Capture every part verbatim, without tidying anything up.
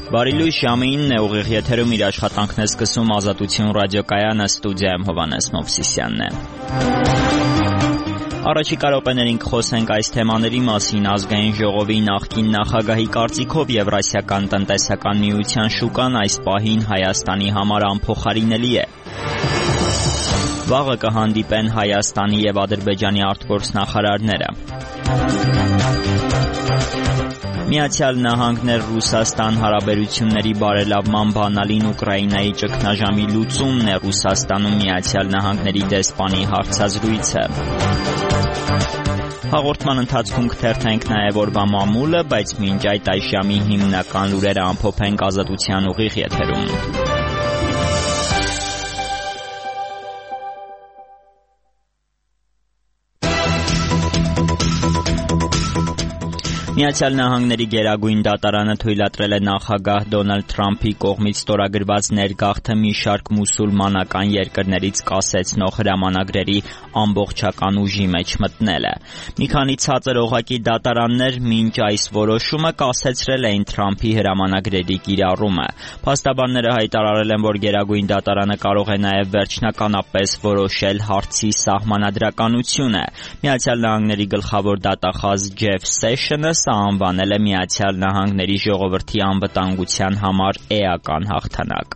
Բարի ժամին է ուղիղ եթերում իր աշխատանքն է սկսում Ազատություն ռադիոկայանը, ստուդիայում Հովհաննես Մովսիսյանն է։ Առաջիկա րոպեներին կխոսենք այս թեմաների մասին։ Ազգային ժողովի նախկին նախագահի կարծիքով Եվրասիական տնտեսական միության շուկան այս պահին Հայաստանի համար անփոխարինելի է։ Վաղը կհանդիպեն Հայաստանի եւ Ադրբեջանի արտգործնախարարները։ Միացյալ Նահանգներ Ռուսաստան հարաբերությունների բարելավման բանալին Ուկրաինայի ճգնաժամի լուծումն է Ռուսաստանում Միացյալ Նահանգների դեսպանի հարցազրույցը։ Հաղորդման ընթացքում կթերթենք նաև օրվա մամուլը, բայց մինչ այդ այս ժամի հիմնական լուրերը ամփոփենք Ազատության ուղիղ եթերում։ Միացյալ Նահանգների գերագույն դատարանը թույլատրել է նախագահ Դոնալդ Թրամփի կողմից ստորագրված ներգաղթը մի շարք մուսուլմանական երկրներից կասեցնող հրամանագրերի ամբողջական ուժի մեջ մտնելը։ Մի քանի ցածր օղակի դատարաններ մինչ այս որոշումը կասեցրել էին Թրամփի հրամանագրերի կիրառումը։ Փաստաբանները հայտարարել են, որ գերագույն դատարանը կարող է նաև վերջնականապես որոշել հարցի սահմանադրականությունը։ Միացյալ Նահանգների գլխավոր դատախազ Ջեֆ Սեշնը անվանել է Միացյալ Նահանգների ժողովրդի անվտանգության համար էական հաղթանակ։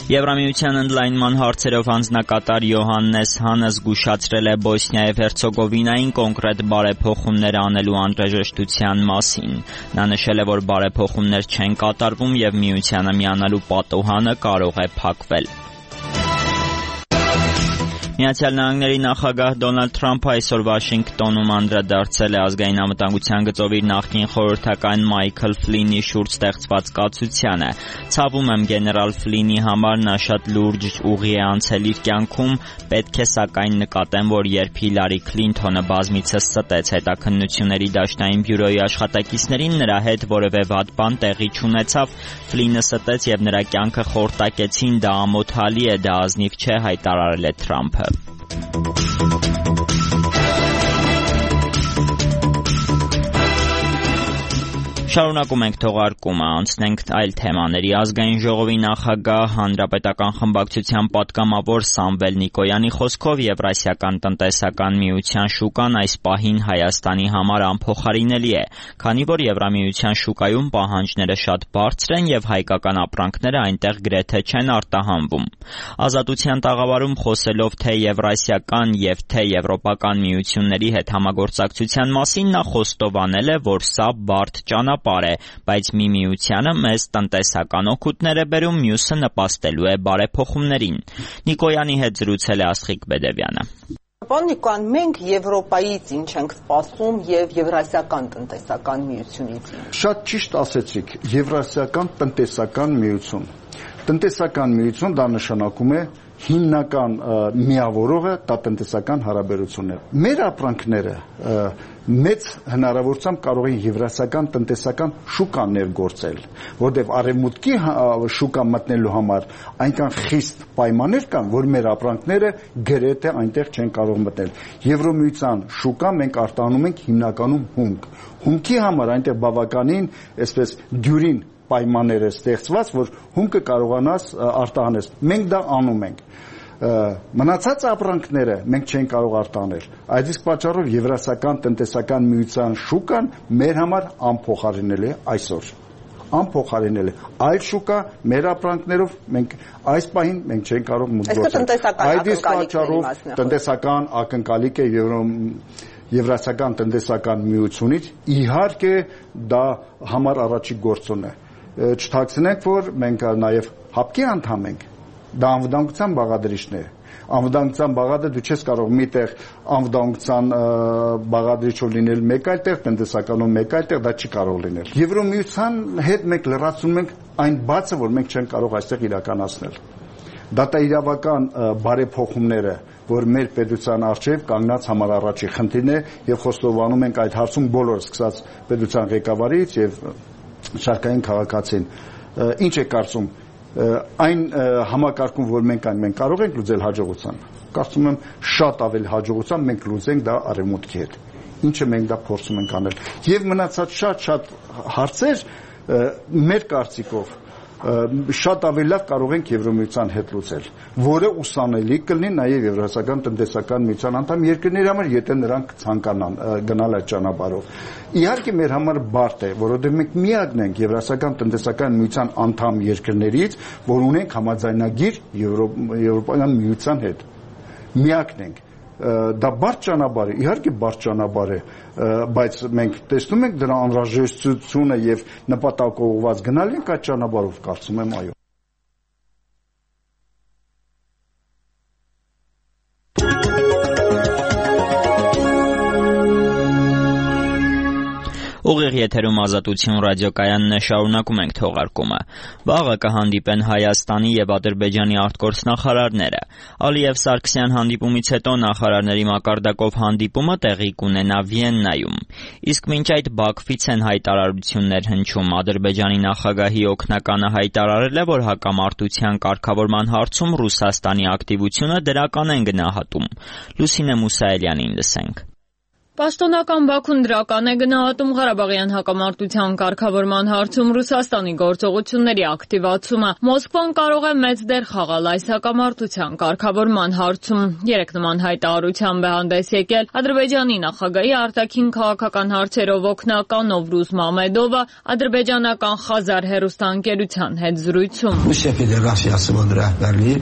Եվրամիության ընդլայնման հարցերով անձնակատար Յոհաննես Հանը զգուշացրել է Բոսնիա եւ Հերցեգովինային կոնկրետ բարեփոխումներ անելու անհրաժեշտության մասին։ Նա նշել է, որ բարեփոխումներ չեն կատարվում եւ միությանը միանալու պատուհանը կարող է փակվել։ Միացյալ Նահանգների նախագահ Դոնալդ Թրամփը այսօր Վաշինգտոնում անդրադարձել է ազգային անվտանգության գծով իր նախկին խորհրդական Մայքլ Ֆլինի շուրջ ստեղծված կացությանը։ Ցավում եմ գեներալ Ֆլինի համար, նա շատ լուրջ ուղի է անցել իր կյանքում, պետք է սակայն նկատեմ, որ երբ Հիլարի Քլինթոնը բազմիցս ստեց հետաքննությունների դաշնային բյուրոյի աշխատակիցներին, նրա հետ որևէ վատ բան տեղի չունեցավ, Ֆլինը ստեց եւ նրա կյանքը խորտակեցին, դա ամոթալի է, դա ազնիվ չէ, հայտարարել է Թրամփը։ Շարունակում ենք թողարկումը, անցնենք այլ թեմաների։ Ազգային ժողովի նախագահ Հանրապետական խմբակցության պատգամավոր Սամվել Նիկոյանի խոսքով Եվրասիական տնտեսական միության շուկան այս պահին Հայաստանի համար անփոխարինելի է, քանի որ Եվրամիության շուկայում պահանջները շատ բարձր են եւ հայկական ապրանքները այնտեղ գրեթե չեն արտահանվում։ Ազատության տաղավարում խոսելով թե Եվրասիական եւ թե Եվրոպական միությունների հետ համագործակցության մասին, նա խոստովանել է, որ սա բարդ ճանապարհ է, բայց մի միությանը մեզ տնտեսական օգուտներ է բերում, մյուսը նպաստելու է բարեփոխումներին։ Նիկոյանի հետ զրուցել է Աստղիկ Բեդևյանը։ Պարոն Նիկոյան, մենք Եվրոպայից ինչ ենք սպասում եւ Եվրասիական տնտեսական միությունից։ Շատ ճիշտ ասեցիք, Եվրասիական տնտեսական միություն։ Տնտեսական միություն դա նշանակում է հիմնական միավորողը դա տնտեսական հարաբերություններ։ Մեր ապրանքները մեծ հնարավորությամբ կարող են եվրասիական տնտեսական շուկա ներգործել, որտեղ արևմուտքի շուկա մտնելու համար այնքան խիստ պայմաններ կան, որ մեր ապրանքները գրեթե այնտեղ չեն կարող մտնել։ Եվրոմիության շուկա մենք արտահանում ենք հիմնականում հումք։ Հումքի համար այնտեղ բավականին, այսպես դյուրին պայմաններ է ստեղծված, որ հումքը կարողանաս արտահանես։ Մենք դա անում ենք։ Մնացած ապրանքները մենք չենք կարող արտահանել։ Այդ իսկ պատճառով Եվրասիական տնտեսական միության շուկան մեր համար անփոխարինելի է այսօր։ Անփոխարինելի է։ Այլ շուկա մեր ապրանքներով մենք այս պահին մենք չենք կարող մուտք գործել։ Այդ իսկ պատճառով տնտեսական ակնկալիք է Եվրասիական տնտեսական միությունից, իհարկե դա համար առաջի գործոն է։ Չթաքցնենք, որ մենք նաև հապկի անդամ ենք։ Դա անվտանգության բաղադրիչն է։ Անվտանգության բաղադրիչը դու չես կարող միտեղ անվտանգության բաղադրիչով լինել մեկ այլ տեղ, տնտեսականով մեկ այլ տեղ, դա չի կարող լինել։ Եվրոմիության հետ մենք լրացնում ենք այն բացը, որ մենք չենք կարող այստեղ իրականացնել։ Դատաիրավական բարեփոխումները, որ մեր պետության առջև կանգնած համար առաջի խնդիրն է եւ խոստովանում ենք այդ հարցում բոլորը, սկսած պետության ղեկավարից եւ շարքային քաղաքացին։ Ինչ է կարծում այն համակարգում, որ մենք այն մենք կարող ենք լուծել հաջողությամբ։ Կարծում եմ շատ ավելի հաջողությամբ մենք լուծենք դա արևմուտքի հետ։ ինչը մենք դա փորձում ենք անել։ Եվ մնացած շատ-շատ հարցեր մեր կարծիքով շատ ավելի լավ կարող ենք Եվրոմիության հետ լուծել, որը ուսանելի կլինի նաև Եվրասիական տնտեսական միության անդամ երկրների համար, եթե նրանք ցանկանան գնալ այդ ճանապարհով։ Իհարկե մեր համար բարդ է, որովհետև մենք միակն ենք Եվրասիական տնտեսական միության անդամ երկրներից, որ ունենք համաձայնագիր Եվրոպական միության հետ։ Միակն ենք։ Դա բարդ ճանապարհ է, իհարկե բարդ ճանապարհ է, բայց մենք տեսնում ենք դրա անհրաժեշտությունը եւ նպատակողված գնալ ենք այդ ճանապարհով, կարծում եմ, այո։ Ուղիղ եթերում Ազատություն ռադիոկայանն է, շարունակում ենք թողարկումը։ Վաղը կհանդիպեն Հայաստանի եւ Ադրբեջանի արտգործնախարարները։ Ալիև Սարգսյան հանդիպումից հետո նախարարների մակարդակով հանդիպումը տեղի կունենա Վիեննայում։ Իսկ մինչ այդ Բաքվից են հայտարարություններ հնչում։ Ադրբեջանի նախագահի օգնականը հայտարարել է, որ հակամարտության կարգավորման հարցում Ռուսաստանի ակտիվությունը դրական են գնահատում։ Լուսինե Մուսայելյանին լսենք։ Պաշտոնական Բաքուն դրական է գնահատում Ղարաբաղյան հակամարտության կարգավորման հարցում Ռուսաստանի գործողությունների ակտիվացումը։ Մոսկվան կարող է մեծ դեր խաղալ այս հակամարտության կարգավորման հարցում։ Երեք նման հայտարարությամբ է հանդես եկել Ադրբեջանի նախագահի արտաքին քաղաքական հարցերով օգնական Նովրուզ Մամեդովը ադրբեջանական Խազար հեռուստաընկերության հետ զրույցում։ Ռուսիա Ֆեդերացիայի ռահբարի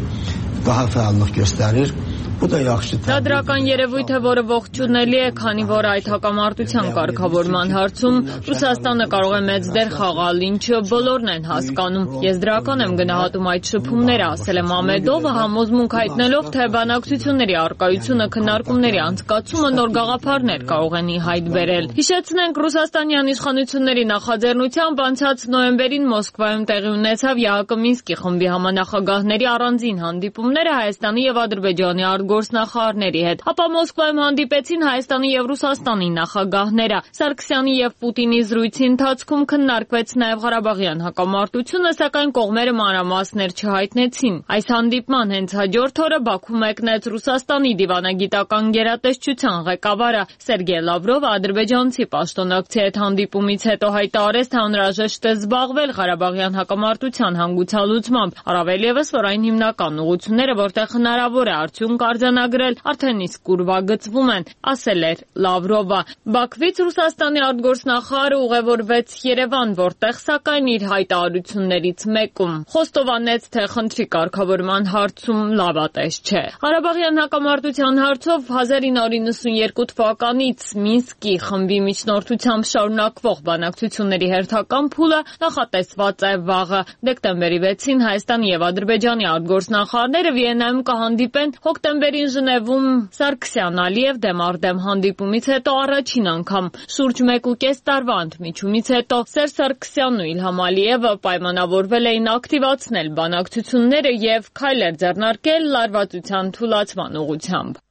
բավականին gösterir. Դա դրական երևույթ է, որը ողջունելի է, քանի որ այդ հակամարտության կարգավորման հարցում Ռուսաստանը կարող է մեծ դեր խաղալ, ինչը բոլորն են հասկանում։ Ես դրական եմ գնահատում այդ շփումները, ասել է Մամեդովը, համոզմունք հայտնելով, թե բանակցությունների առկայությունը քննարկումների անցկացումը նոր գաղափարներ կարող են ի հայտ բերել։ Հիշեցնենք, ռուսաստանյան իշխանությունների նախաձեռնությամբ անցած նոյեմբերին Մոսկվայում տեղի ունեցավ ԵԱՀԿ Մինսկի խմբի համանախագահների առանձին հանդիպումները Հայաստանի եւ Ադրբեջանի գործնախարարների հետ, ապա Մոսկվայում հանդիպեցին Հայաստանի եւ Ռուսաստանի նախագահները։ Սարգսյանի եւ Պուտինի զրույցի ընթացքում քննարկվեց նաեւ Ղարաբաղյան հակամարտությունը, սակայն կողմերը մանրամասներ չհայտնեցին։ Այս հանդիպման հենց հաջորդ օրը Բաքու մեկնեց Ռուսաստանի դիվանագիտական գերատեսչության ղեկավարը Սերգեյ Լավրովը ադրբեջանցի պաշտոնակցի հետ հանդիպումից հետո հայտարարեց, թե անհրաժեշտ է զբաղվել Ղարաբաղյան հակամարտության հանգուցալուծմամբ, առավել ևս, որ այն հիմնական ուղղությունները, որտեղ հնարավոր է արդյունք արձանագրել, արդեն իսկ ուրվագծվում են, ասել էր Լավրովը։ Բաքվից Ռուսաստանի արտգործնախարարը ուղևորվեց Երևան, որտեղ սակայն իր հայտարարություններից մեկում խոստովանեց, թե խնդրի կարգավորման հարցում լավատես չէ։ Ղարաբաղյան հակամարտության հարցով հազար ինը հարյուր նվաթ թվականից Մինսկի խմբի միջնորդությամբ շարունակվող բանակցությունների հերթական փուլը նախատեսված է վաղը։ Դեկտեմբերի վեցին Հայաստանի եւ Ադրբեջանի արտգործնախարարները Վիեննայում կհանդիպեն, հոկտեմբերին Ժնևում Սարգսյան-Ալիև դեմառդեմ հանդիպումից հետո առաջին անգամ շուրջ մեկ ու կես տարվա ընդմիջումից հետո Սերժ Սարգսյանն ու Իլհամ Ալիևը պայմանավորվել էին ակտիվացնել բանակցությունները եւ քայլեր ձեռնարկել լարվածության թուլացման ուղղությամբ։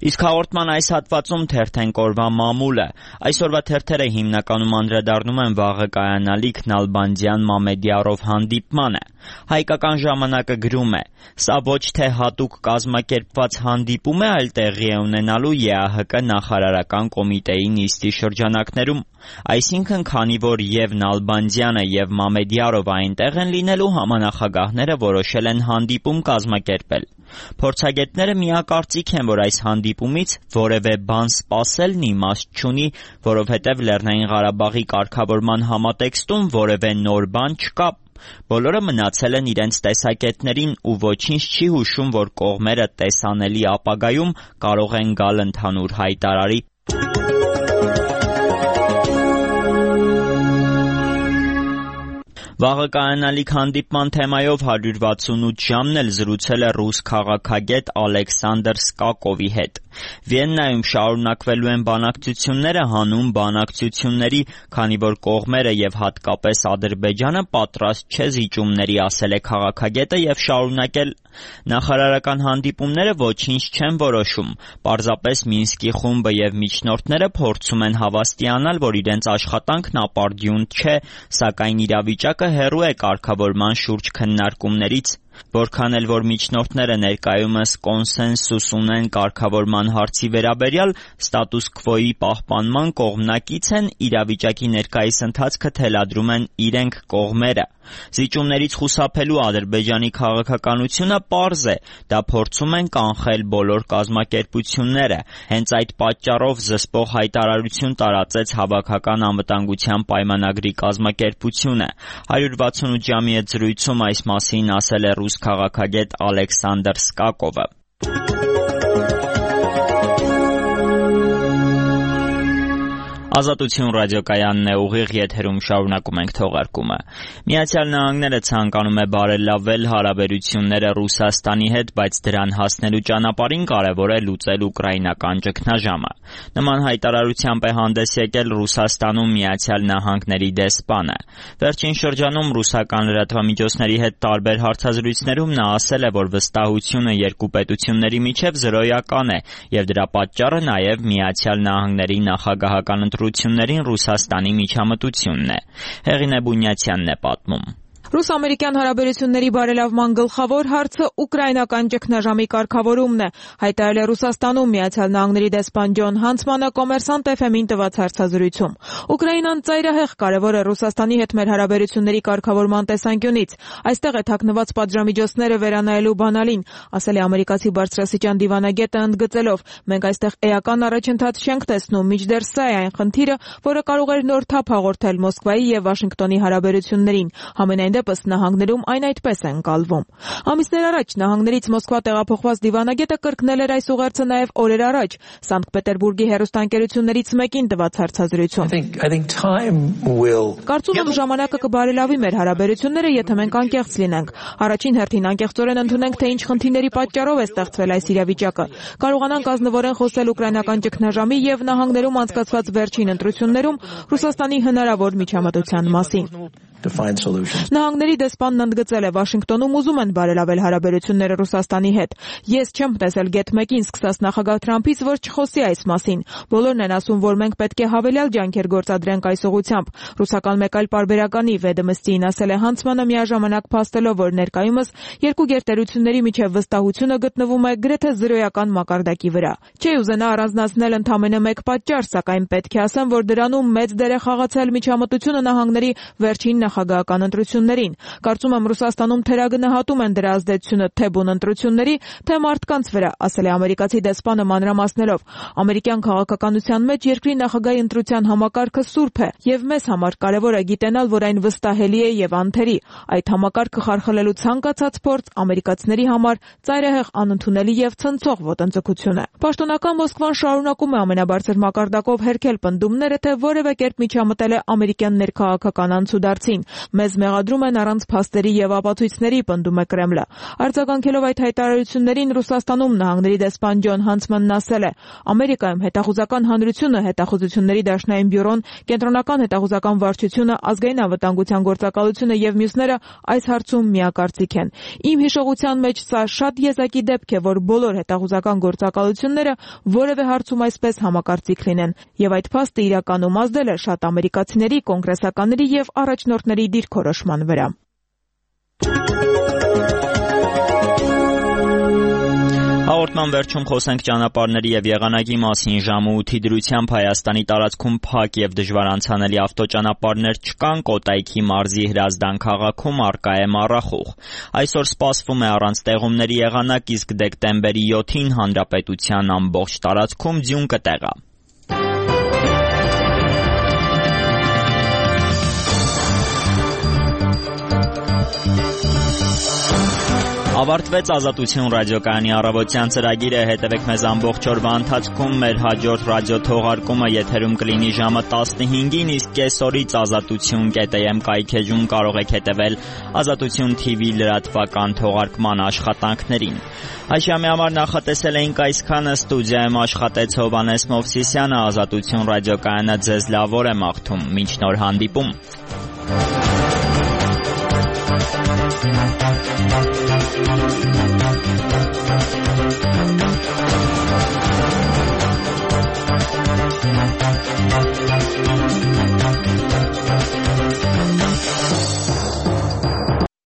Իսկ հաղորդման այս հատվածում թերթենք օրվա մամուլը։ Այսօրվա թերթերը հիմնականում անդրադառնում են վաղը կայանալիք Նալբանդյան Մամեդյարով հանդիպմանը։ Հայկական ժամանակը գրում է. «Սա ոչ թե հատուկ կազմակերպված հանդիպում է, այլ տեղի է ունենալու ԵԱՀԿ նախարարական կոմիտեի նիստի շրջանակներում։ Այսինքն, քանի որ եւ Նալբանդյանը եւ Մամեդյարով այնտեղ են լինելու, համանախագահները որոշել են հանդիպում կազմակերպել։ Փորձագետները միակարծիք են, որ այս հանդիպումից որևէ բան սպասելն իմաստ չունի, որովհետև Լեռնային Ղարաբաղի կարգավորման համատեքստում որևէ նոր բան չկա։ Բոլորը մնացել են իրենց տեսակետներին ու ոչինչ չի հուշում, որ կողմերը տեսանելի ապագայում կարող են գալ ընդհանուր հայտարարի»։ Վաղը կայանալիք հանդիպման թեմայով հարյուր վաթսունութ ժամն էլ զրուցել է ռուս քաղաքագետ Ալեքսանդր Սկակովի հետ։ Վիեննայում շարունակվելու են բանակցությունները հանուն բանակցությունների, քանի որ կողմերը եւ հատկապես Ադրբեջանը պատրաստ չէ զիջումների, ասել է քաղաքագետը եւ շարունակել. նախարարական հանդիպումները ոչինչ չեն որոշում, պարզապես Մինսկի խումբը եւ միջնորդները փորձում են հավաստիանալ, որ իրենց աշխատանքն ապարդյուն չէ, սակայն իրավիճակը հեռու է կարգավորման շուրջ քննարկումներից։ Որքան էլ որ միջնորդները ներկայումս կոնսենսուս ունեն կարգավորման հարցի վերաբերյալ, ստատուս քվոյի պահպանման կողմնակից են, իրավիճակի ներկայիս ընթացքը թելադրում են իրենք կողմերը։ Զիջումներից խուսափելու Ադրբեջանի քաղաքականությունը պարզ է, դա փորձում են կանխել բոլոր կազմակերպությունները։ Հենց այդ պատճառով զսպող հայտարարություն տարածեց Հավաքական անվտանգության պայմանագրի կազմակերպությունը։ հարյուր վաթսունութ ժամի հետ զրույցում այս մասին ասել է ռուս քաղաքագետ Ալեքսանդր Սկակովը։ Ազատություն ռադիոկայանն է, ուղիղ եթերում շարունակում ենք թողարկումը։ Միացյալ Նահանգները ցանկանում է բարելավել հարաբերությունները Ռուսաստանի հետ, բայց դրան հասնելու ճանապարհին կարևոր է լուծել ուկրաինական ճգնաժամը։ Նման հայտարարությամբ է հանդես եկել Ռուսաստանում Միացյալ Նահանգների դեսպանը։ Վերջին շրջանում ռուսական լրատվամիջոցների հետ տարբեր հարցազրույցներում նա ասել է, որ վստահությունը երկու պետությունների միջև զրոյական է, եւ դրա պատճառը նաեւ Միացյալ Նահանգների նախագահական ընտրություններին Ռուսաստանի միջամտությունն է։ Հեղինե Բունյացյանն է պատմում։ Ռուս-ամերիկյան հարաբերությունների բարելավման գլխավոր հարցը ուկրաինական ճգնաժամի կարգավորումն է, հայտարարել է Ռուսաստանում Միացյալ Նահանգների դեսպան Ջոն Հանցմանը Կոմերսանտ էֆ էմին տված հարցազրույցում։ Ուկրաինան ծայրահեղ կարևոր է Ռուսաստանի հետ մեր հարաբերությունների կարգավորման տեսանկյունից։ Այստեղ է թաքնված պատժամիջոցները վերանայելու բանալին, ասել է ամերիկացի բարձրաստիճան դիվանագետը, ընդգծելով. մենք այստեղ էական առաջընթաց չենք տեսնում, մինչդեռ սա է այն խնդիրը, որը կարող էր նոր թափ հաղորդել Մոսկվայի եւ Վաշինգտոնի հարաբերություններին։ Համենայնդեպս նահանգներում այն այդպես է ընկալվում։ Ամիսներ առաջ նահանգներից Մոսկվա տեղափոխված դիվանագետը կրկնել էր այս ուղերձը նաև օրեր առաջ Սանկտ Պետերբուրգի հեռուստաընկերություններից մեկին տված հարցազրույցում։ Կարծում եմ ժամանակը կբարելավի մեր հարաբերությունները, եթե մենք անկեղծ լինենք։ Առաջին հերթին անկեղծորեն ընդունենք, թե ինչ խնդիրների պատճառով է ստեղծվել այս իրավիճակը։ Կարողանանք ազնվորեն խոսել ուկրաինական ճգնաժամի եւ նահանգներում անցկացված վերջին ընտրություններում Ռուսաստանի հնարավոր միջամտության մասին։ Նահանգների դեսպանն ընդգծել է, Վաշինգտոնում ուզում են բարելավել հարաբերությունները Ռուսաստանի հետ։ Ես չեմ տեսել գեթ մեկին սկսած նախագահ Թրամփից, որ չխոսի այս մասին։ Բոլորն են ասում, որ մենք պետք է հավելյալ ջանքեր գործադրենք այս ուղղությամբ։ Ռուսական մեկ այլ պարբերականի Վեդոմստիին ասել է Հանցմանը, միաժամանակ փաստելով, որ ներկայումս երկու գերտերությունների միջև վստահությունը գտնվում է գրեթե զրոյական մակարդակի վրա։ Չի ուզենա առանձնացնել ընդամենը մեկ պատճառ, սակայն պետք է ասեմ, որ դրանում մեծ դեր է խաղացել միջամտությունը նահանգների վերջին նախագահական ընտրություններին։ Կարծում եմ Ռուսաստանում թերագնահատում են դրա ազդեցությունը թե բուն ընտրությունների, թե մարդկանց վրա, ասել է ամերիկացի դեսպանը մանրամասնելով. ամերիկյան քաղաքականության մեջ երկրի նախագահի ընտրության համակարգը սուրբ է, եւ մեզ համար կարևոր է գիտենալ, որ այն վստահելի է եւ անթերի։ Այդ համակարգը խարխլելու ցանկացած փորձ ամերիկացիների համար ծայրահեղ անընդունելի եւ ցնցող ոտնձգություն է։ Պաշտոնական Մոսկվան շարունակում է ամենաբարձր մակարդակով հերքել պնդումները, թե որևէ կերպ միջամտել է ամերիկյան ներքաղաքական անցուդարձին։ Մեզ մեղադրում են առանց փաստերի եւ ապացույցների, պնդում է Կրեմլը։ Արձագանքելով այդ հայտարարություններին Ռուսաստանում նահանգների դեսպան Ջոն Հանցմանն ասել է. Ամերիկայում հետախուզական հանրությունը, հետախուզությունների դաշնային բյուրոն, կենտրոնական հետախուզական վարչությունը, ազգային անվտանգության գործակալությունը եւ մյուսները այս հարցում միակարծիք են։ Իմ հիշողության մեջ սա շատ եզակի դեպք է, որ բոլոր հետախուզական գործակալությունները որևէ հարցում այսպես համակարծիք լինեն, եւ այդ փաստը իրականում ազդել է շատ ամերիկացիների, կոնգրեսականների եւ առաջնորդների դիրքորոշման վրա։ Հաղորդման վերջում խոսենք ճանապարհների եւ եղանակի մասին։ Ժամը ութի դրությամբ Հայաստանի տարածքում փակ եւ դժվար անցանելի ավտոճանապարհներ չկան, Կոտայքի մարզի Հրազդան քաղաքում առկա է մառախուղ։ Այսօր սպասվում է առանց տեղումների եղանակ, իսկ դեկտեմբերի յոթին հանրապետության ամբողջ տարածքում ձյուն կտեղա։ Ավարտվեց Ազատություն ռադիոկայանի առավոտյան ծրագիրը, հետևեք մեզ ամբողջ օրվա ընթացքում, մեր հաջորդ ռադիո թողարկումը եթերում կլինի ժամը տասնհինգին, իսկ կեսօրից ազատություն կետ էմ կայքեջում կարող եք հետևել Ազատություն թի վի լրատվական թողարկման աշխատանքներին։ Այսյամի համար նախատեսել էինք այսքանը, ստուդիայում աշխատեց Հովհաննես Մովսիսյանը, Ազատություն ռադիոկայանը ձեզ լավ օր է մաղթում, մինչ նոր հանդիպում։